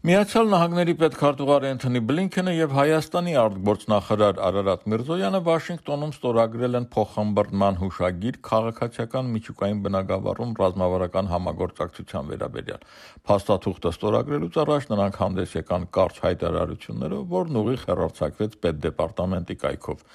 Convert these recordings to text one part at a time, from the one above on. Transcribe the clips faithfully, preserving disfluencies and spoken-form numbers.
Միացյալ Նահանգների պետքարտուղար Էնթոնի Բլինքենը եւ Հայաստանի արտգործնախարար Արարատ Միրզոյանը Վաշինգտոնում ստորագրել են փոխհմբռնման հուշագիր քաղաքացիական միջուկային բնագավառում ռազմավարական համագործակցության վերաբերյալ։ Փաստաթուղթը ստորագրելուց առաջ նրանք հանդես եկան կարճ հայտարարություններով, որն ուղիղ հեռարձակվեց պետդեպարտամենտի կայքով։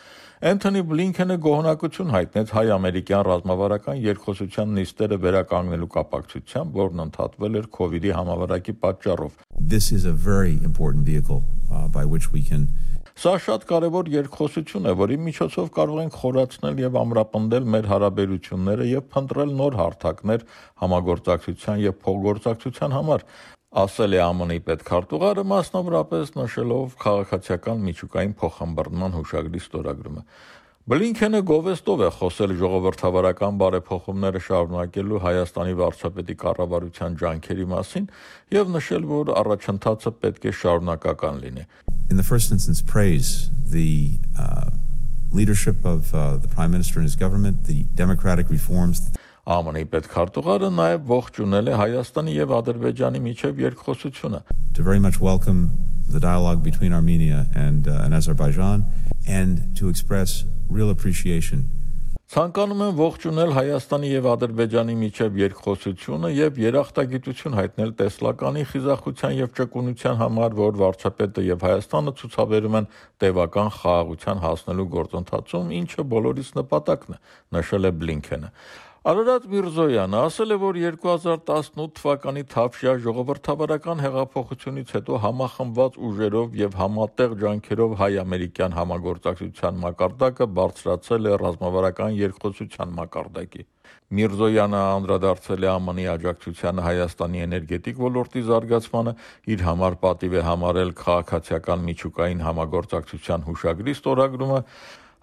Էնթոնի Բլինքենը գոհունակություն հայտնեց հայ-ամերիկյան ռազմավարական երկխոսության նիստերը վերականգնելու կապակցությամբ, որն ընդհատվել էր քովիդի համավարակի պատճառով։ This is a very important vehicle uh, by which we can Սա շատ կարևոր երկխոսություն է, որի միջոցով կարող ենք խորացնել եւ ամրապնդել մեր հարաբերությունները եւ փնտրել նոր հարթակներ համագործակցության եւ փոխգործակցության համար, ասել է ԱՄՆ-ի պետքարտուղարը, մասնավորապես նշելով քաղաքացիական միջուկային փոխհմբռնման հուշագրի ստորագրումը։ Բլինքենը գովեստով է խոսել ժողովրդավարական բարեփոխումները շարունակելու Հայաստանի վարչապետի կառավարության ջանքերի մասին եւ նշել, որ առաջընթացը պետք է շարունակական լինի։ In the first instance praise the uh, leadership of uh, the Prime Minister and his government, the democratic reforms. ԱՄՆ-ի պետքարտուղարը նաև ողջունել է Հայաստանի եւ Ադրբեջանի միջև երկխոսությունը։ To very much welcome the dialogue between Armenia and, uh, and Azerbaijan and to express real appreciation. Ցանկանում եմ ողջունել Հայաստանի եւ Ադրբեջանի միջև երկխոսությունը եւ երախտագիտություն հայտնել տեսլականի խիզախության եւ ճկունության համար, որ վարչապետը եւ Հայաստանը ցուցաբերում են տևական խաղաղության հասնելու գործընթացում, ինչը բոլորիս նպատակն է, նշել է Բլինքենը։ Արարատ Միրզոյանը ասել է, որ երկու հազար տասնութ թվականի Թավշյա ժողովրդավարական հեղափոխությունից հետո համախմբված ուժերով եւ համատեղ ջանքերով հայ-ամերիկյան համագործակցության մակարդակը բարձրացել է ռազմավարական երկխոսության մակարդակի։ Միրզոյանը անդրադարձել է ԱՄՆ-ի աջակցությանը Հայաստանի էներգետիկ ոլորտի զարգացմանը, իր համար պատիվ է համարել քաղաքացիական միջուկային համագործակցության հուշագրի ստորագրումը,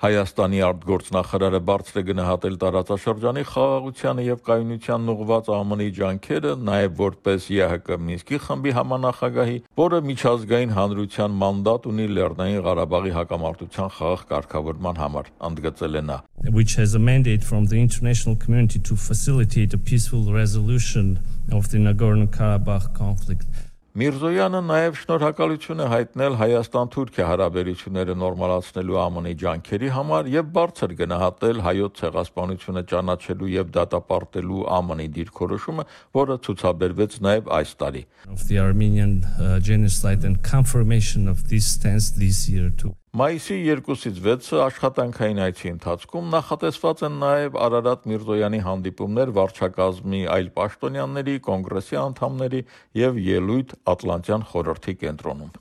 Հայաստանի արտգործնախարարը բարձր է գնահատել տարածաշրջանի խաղաղությանը եւ կայունությանն ուղղված ԱՄՆ-ի ջանքերը, նաեւ որպես ԵՀԿ Մինսկի խմբի համանախագահի, որը միջազգային հանրության մանդատ ունի Լեռնային Ղարաբաղի հակամարտության խաղաղ կարգավորման համար, ընդգծել է նա. Which has a mandate from the international community to facilitate a peaceful resolution of the Nagorno-Karabakh conflict. Միրզոյանը նաև շնորհակալություն է հայտնել Հայաստան-Թուրքիա հարաբերությունները նորմալացնելու ԱՄՆ-ի ջանքերի համար եւ բարձր գնահատել հայոց ցեղասպանությունը ճանաչելու եւ դատապարտելու ԱՄՆ-ի դիրքորոշումը, որը ցուցաբերվեց նաև այս տարի։ Of the Armenian uh, genocide and confirmation of this stance this year too. Մայիսի երկուսից վեցը աշխատանքային այցի ընթացքում նախատեսված են նաև Արարատ Միրզոյանի հանդիպումներ վարչակազմի այլ պաշտոնյաների, կոնգրեսի անդամների եւ ելույթ Ատլանտյան խորհրդի կենտրոնում։